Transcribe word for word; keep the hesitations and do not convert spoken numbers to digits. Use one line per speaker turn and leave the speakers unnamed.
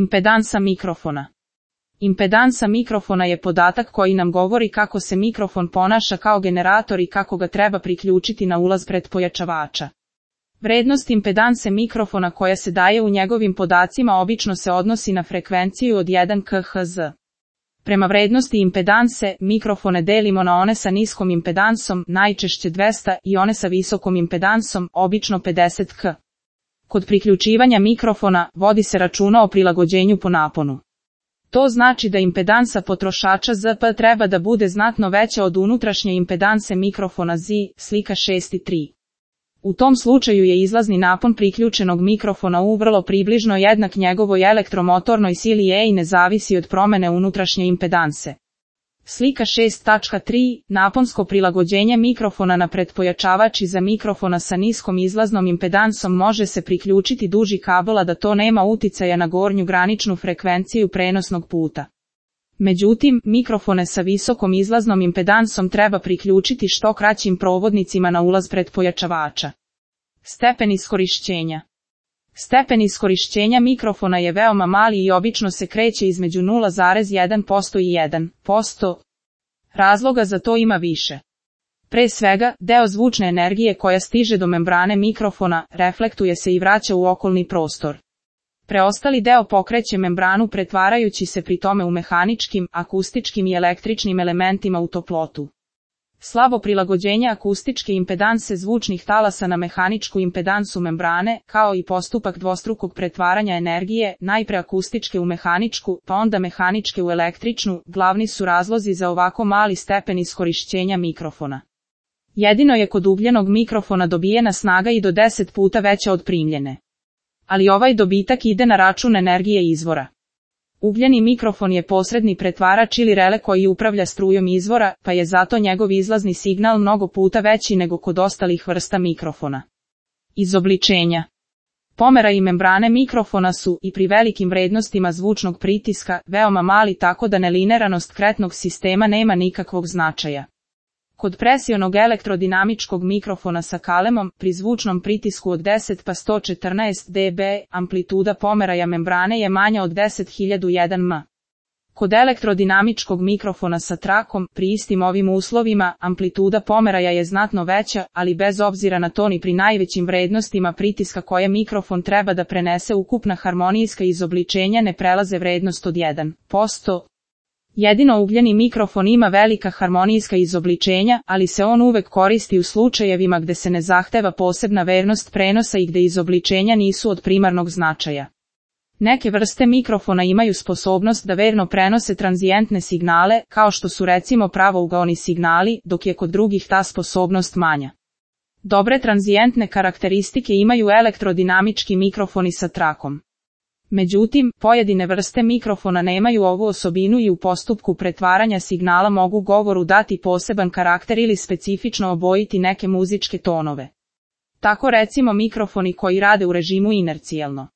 Impedansa mikrofona. Impedansa mikrofona je podatak koji nam govori kako se mikrofon ponaša kao generator i kako ga treba priključiti na ulaz pretpojačavača. Vrednost impedanse mikrofona koja se daje u njegovim podacima obično se odnosi na frekvenciju od jedan kilohertz. Prema vrednosti impedanse, mikrofone delimo na one sa niskom impedansom, najčešće dvesta, i one sa visokom impedansom, obično pedeset kilohertz. Kod priključivanja mikrofona, vodi se računa o prilagođenju po naponu. To znači da impedansa potrošača Z P treba da bude znatno veća od unutrašnje impedanse mikrofona Z, slika šest i tri. U tom slučaju je izlazni napon priključenog mikrofona U vrlo približno jednak njegovoj elektromotornoj sili E i ne zavisi od promene unutrašnje impedanse. Slika šest tačka tri. Naponsko prilagođenje mikrofona na pretpojačavač iza mikrofona sa niskom izlaznom impedansom može se priključiti duži kabel, a da to nema uticaja na gornju graničnu frekvenciju prenosnog puta. Međutim, mikrofone sa visokom izlaznom impedansom treba priključiti što kraćim provodnicima na ulaz pretpojačavača. Stepen iskorišćenja. Stepen iskorišćenja mikrofona je veoma mali i obično se kreće između nula zarez jedan posto i jedan posto. Razloga za to ima više. Pre svega, deo zvučne energije koja stiže do membrane mikrofona, reflektuje se i vraća u okolni prostor. Preostali deo pokreće membranu pretvarajući se pri tome u mehaničkim, akustičkim i električnim elementima u toplotu. Slabo prilagođenje akustičke impedanse zvučnih talasa na mehaničku impedansu membrane, kao i postupak dvostrukog pretvaranja energije, najpre akustičke u mehaničku, pa onda mehaničke u električnu, glavni su razlozi za ovako mali stepen iskorišćenja mikrofona. Jedino je kod ugljenog mikrofona dobijena snaga i do deset puta veća od primljene. Ali ovaj dobitak ide na račun energije izvora. Ugljeni mikrofon je posredni pretvarač ili rele koji upravlja strujom izvora, pa je zato njegov izlazni signal mnogo puta veći nego kod ostalih vrsta mikrofona. Izobličenja. Pomera i membrane mikrofona su, i pri velikim vrednostima zvučnog pritiska, veoma mali, tako da nelineranost kretnog sistema nema nikakvog značaja. Kod presionog elektrodinamičkog mikrofona sa kalemom, pri zvučnom pritisku od deset pa sto četrnaest decibela, amplituda pomeraja membrane je manja od deset hiljada jedan metara. Kod elektrodinamičkog mikrofona sa trakom, pri istim ovim uslovima, amplituda pomeraja je znatno veća, ali bez obzira na to ni pri najvećim vrednostima pritiska koje mikrofon treba da prenese ukupna harmonijska izobličenja ne prelaze vrednost od jedan posto. Jedino ugljeni mikrofon ima velika harmonijska izobličenja, ali se on uvek koristi u slučajevima gde se ne zahteva posebna vernost prenosa i gde izobličenja nisu od primarnog značaja. Neke vrste mikrofona imaju sposobnost da verno prenose tranzijentne signale, kao što su recimo pravougaoni signali, dok je kod drugih ta sposobnost manja. Dobre tranzijentne karakteristike imaju elektrodinamički mikrofoni sa trakom. Međutim, pojedine vrste mikrofona nemaju ovu osobinu i u postupku pretvaranja signala mogu govoru dati poseban karakter ili specifično obojiti neke muzičke tonove. Tako recimo mikrofoni koji rade u režimu inercijalno